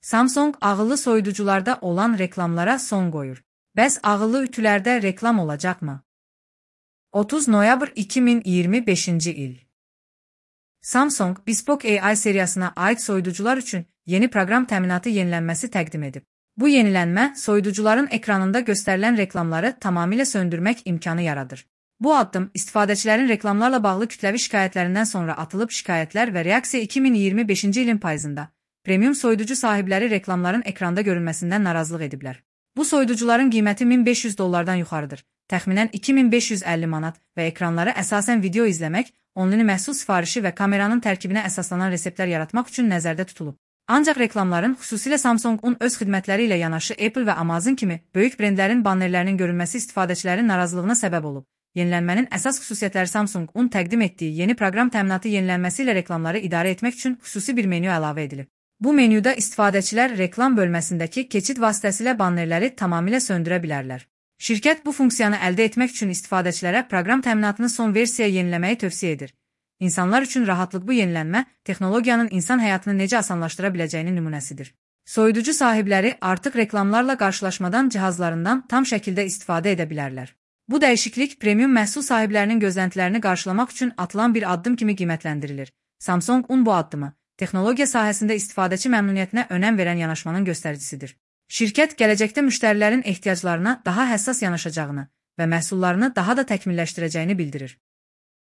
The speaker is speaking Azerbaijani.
Samsung ağıllı soyuducularda olan reklamlara son qoyur. Bəs ağıllı ütülərdə reklam olacaqmı? 30 noyabr 2025 il. Samsung, Bespoke AI seriyasına aid soyuducular üçün yeni proqram təminatı yenilənməsi təqdim edib. Bu yenilənmə, soyuducuların ekranında göstərilən reklamları tamamilə söndürmək imkanı yaradır. Bu addım, istifadəçilərin reklamlarla bağlı kütləvi şikayətlərindən sonra atılıb şikayətlər və reaksiya 2025 ilin payızında premium soyuducu sahibləri reklamların ekranda görünməsindən narazılıq ediblər. Bu soyuducuların qiyməti $1500 yuxarıdır, təxminən 2550 manat və ekranları əsasən video izləmək, onlayn məhsul sifarişi və kameranın tərkibinə əsaslanan reseptlər yaratmaq üçün nəzərdə tutulub. Ancaq reklamların, xüsusilə Samsung-un öz xidmətləri ilə yanaşı Apple və Amazon kimi böyük brendlərin bannerlərinin görünməsi istifadəçilərin narazılığına səbəb olub. Yenilənmənin əsas xüsusiyyətləri Samsung-un təqdim etdiyi yeni proqram təminatı yenilənməsi ilə reklamları idarə etmək üçün xüsusi bir menyu əlavə edilib. Bu menyuda istifadəçilər reklam bölməsindəki keçid vasitəsilə bannerləri tamamilə söndürə bilərlər. Şirkət bu funksiyanı əldə etmək üçün istifadəçilərə proqram təminatını son versiyaya yeniləməyi tövsiyə edir. İnsanlar üçün rahatlıq bu yenilənmə, texnologiyanın insan həyatını necə asanlaşdıra biləcəyinin nümunəsidir. Soyuducu sahibləri artıq reklamlarla qarşılaşmadan cihazlarından tam şəkildə istifadə edə bilərlər. Bu dəyişiklik premium məhsul sahiblərinin gözləntilərini qarşılamaq üçün atılan bir addım kimi qiymətləndirilir. Samsung-un bu addımı texnologiya sahəsində istifadəçi məmnuniyyətinə önəm verən yanaşmanın göstəricisidir. Şirkət gələcəkdə müştərilərin ehtiyaclarına daha həssas yanaşacağını və məhsullarını daha da təkmilləşdirəcəyini bildirir.